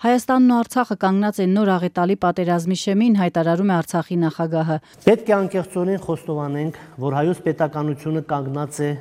Հայաստանն ու Արցախը կանգնած են նոր աղետալի պատերազմի շեմին, հայտարարում է Արցախի նախագահը։ Պետք է անկեղծորեն խոստովանենք, որ հայոց պետականությունը կանգնած է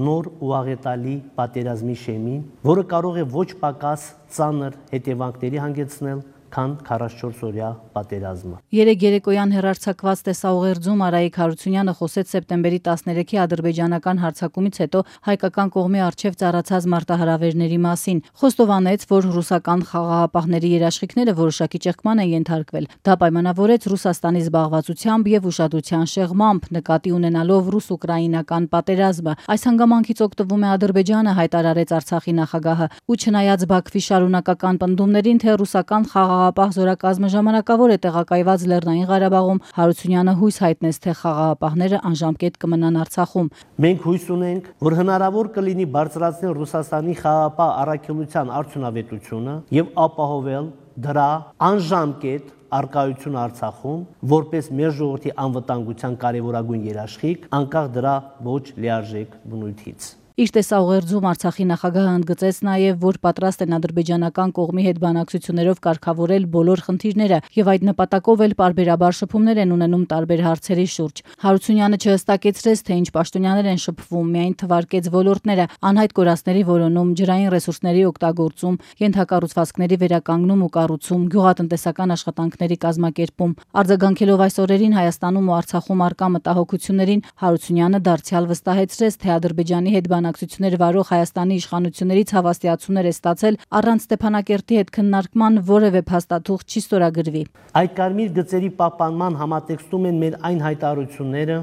նոր ու աղետալի պատերազմի շեմին, որը կարող է ոչ պակաս ծանր հետևանքների հանգեցնել, քան 44-օրյա պատերազմը։ Երեկ երեկոյան հեռարձակված տեսաուղերձում Արայիկ Հարությունյանը խոսեց սեպտեմբերի 13-ի ադրբեջանական հարձակումից հետո հայկական կողմի առջև ծառացած մարտահրավերների մասին։ Խոստովանեց, որ ռուսական խաղաղապահների երաշխիքները որոշակի ճեղքման են ենթարկվել։ Դա պայմանավորեց Ռուսաստանի զբաղվածությամբ եւ ուշադրության շեղմամբ, նկատի ունենալով ռուս-ուկրաինական պատերազմը։ Այս հանգամանքից օգտվում է Ադրբեջանը, հայտարարեց Արցախի նախագահը, ու չնայած Բաքվի շարունակական պնդումներին, թե ռուսական խաղաղապահ զորակազմը ժամանակավոր է տեղակայված Լեռնային Ղարաբաղում, Հարությունյանը հույս հայտնեց, թե խաղաղապահները անժամկետ կմնան Արցախում։ Մենք հույս ունենք, որ հնարավոր կլինի բարձրացնել Ռուսաստանի խաղաղապահ առաքելության արդյունավետությունը եւ ապահովել դրա անժամկետ արկայություն Արցախում, որպես մեր ժողովրդի անվտանգության կարևորագույն երաշխիք, անկախ դրա ոչ լիարժեք բնույթից։ Իր տեսաուղերձում Արցախի նախագահը ընդգծեց նաև, որ պատրաստ են ադրբեջանական կողմի հետ բանակցություններով կարգավորել բոլոր խնդիրները եւ այդ նպատակով էլ պարբերաբար շփումներ են ունենում տարբեր հարցերի շուրջ։ Հարությունյանը չհստակեցրեց, թե ինչ պաշտոնյաներ են շփվում, միայն թվարկեց ոլորտները՝ անհայտ կորածների որոնում, ջրային ռեսուրսների օգտագործում, ենթակառուցվածքների վերականգնում ու կառուցում, գյուղատնտեսական աշխատանքների կազմակերպում։ Արձագանքելով այս օրերին Հայաստանում ու Արցախում արկա մտահոգություններին, Հարությունյանը դարձյալ վստահեցրեց, թե Ադրբեջանի հետ բանակցություններ վարող Հայաստանի իշխանություններից հավաստիացումներ է ստացել առանց Ստեփանակերտի հետ քննարկման որևէ փաստաթուղթ չի ստորագրվի։ Այդ կարմիր գծերի պահպանման համատեքստում են մեր այն հայտարարությունները,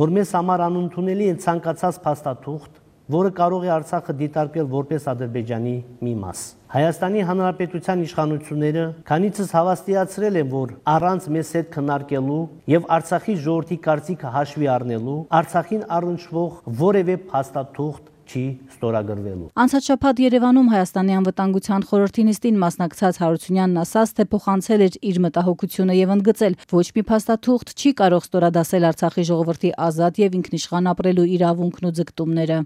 որ մեզ համար անընդունելի է ցանկացած փաստաթուղթ, որը կարող է Արցախը դիտարկել որպես Ադրբեջանի մի մաս։ Հայաստանի Հանրապետության իշխանությունները քանիցս հավաստիացրել են, որ առանց մեզ հետ քննարկելու եւ Արցախի ժողովրդի կարծիքը հաշվի առնելու Արցախին առնչվող որևէ փաստաթուղթ չի ստորագրվելու։ Անցած շաբաթ Երևանում Հայաստանի անվտանգության խորհրդի նիստին մասնակցած Հարությունյանն ասաց, թե փոխանցել էր իր մտահոգությունը եւ ընդգծել, ոչ մի փաստաթուղթ չի կարող ստորադասել Արցախի ժողովրդի ազատ եւ ինքնիշխան ապրելու իրավունքն ու ձգտումները։